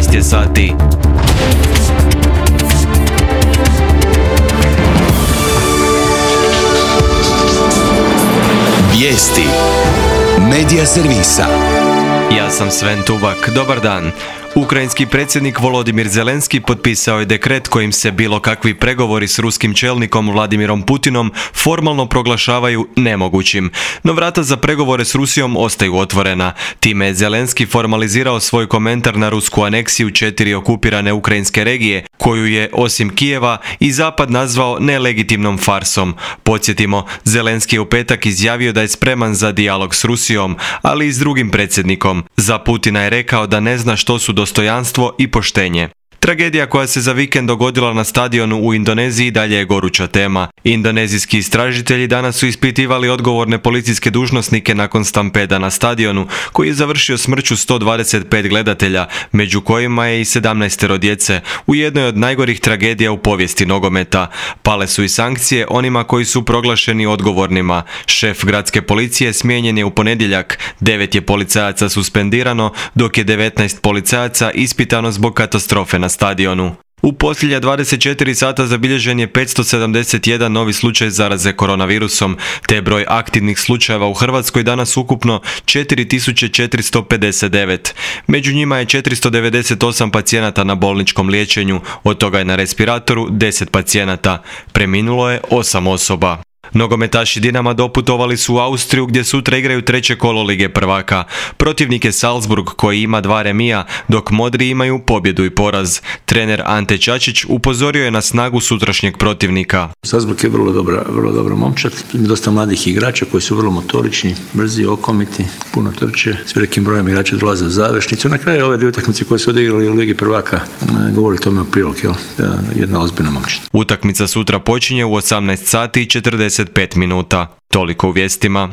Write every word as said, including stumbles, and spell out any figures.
šest je sati. Vijesti Medija servisa. Ja sam Sven Tubak, dobar dan. Ukrajinski predsjednik Volodimir Zelenski potpisao je dekret kojim se bilo kakvi pregovori s ruskim čelnikom Vladimirom Putinom formalno proglašavaju nemogućim. No vrata za pregovore s Rusijom ostaju otvorena. Time je Zelenski formalizirao svoj komentar na rusku aneksiju četiri okupirane ukrajinske regije, koju je, osim Kijeva, i Zapad nazvao nelegitimnom farsom. Podsjetimo, Zelenski je u petak izjavio da je spreman za dijalog s Rusijom, ali i s drugim predsjednikom. Za Putina je rekao da ne zna što su dostojanstvo i poštenje. Tragedija koja se za vikend dogodila na stadionu u Indoneziji dalje je goruća tema. Indonezijski istražitelji danas su ispitivali odgovorne policijske dužnosnike nakon stampeda na stadionu, koji je završio smrću sto dvadeset pet gledatelja, među kojima je i sedamnaestero djece, u jednoj od najgorih tragedija u povijesti nogometa. Pale su i sankcije onima koji su proglašeni odgovornima. Šef gradske policije smijenjen je u ponedjeljak, devet je policajaca suspendirano, dok je devetnaest policajaca ispitano zbog katastrofe na stadionu. U posljednja dvadeset četiri sata zabilježen je petsto sedamdeset jedan novi slučaj zaraze koronavirusom, te broj aktivnih slučajeva u Hrvatskoj danas ukupno četiri tisuće četiristo pedeset devet. Među njima je četiristo devedeset osam pacijenata na bolničkom liječenju, od toga je na respiratoru deset pacijenata. Preminulo je osam osoba. Nogometaši Dinama doputovali su u Austriju gdje sutra igraju treće kolo Lige prvaka. Protivnik je Salzburg koji ima dva remija, dok modri imaju pobjedu i poraz. Trener Ante Čačić upozorio je na snagu sutrašnjeg protivnika. Salzburg je vrlo dobra, vrlo dobra momčad, dosta mladih igrača koji su vrlo motorični, brzi, okomiti, puno trče, s velikim brojem igrača dolaze u završnicu. Na kraju ove dvije utakmice koje su odigrali u Ligi prvaka govori tome u prilog, jel? Jedna ozbiljna momčad. Utakmica sutra počinje u osamnaest sati i četrdeset pet minuta. Toliko u vijestima.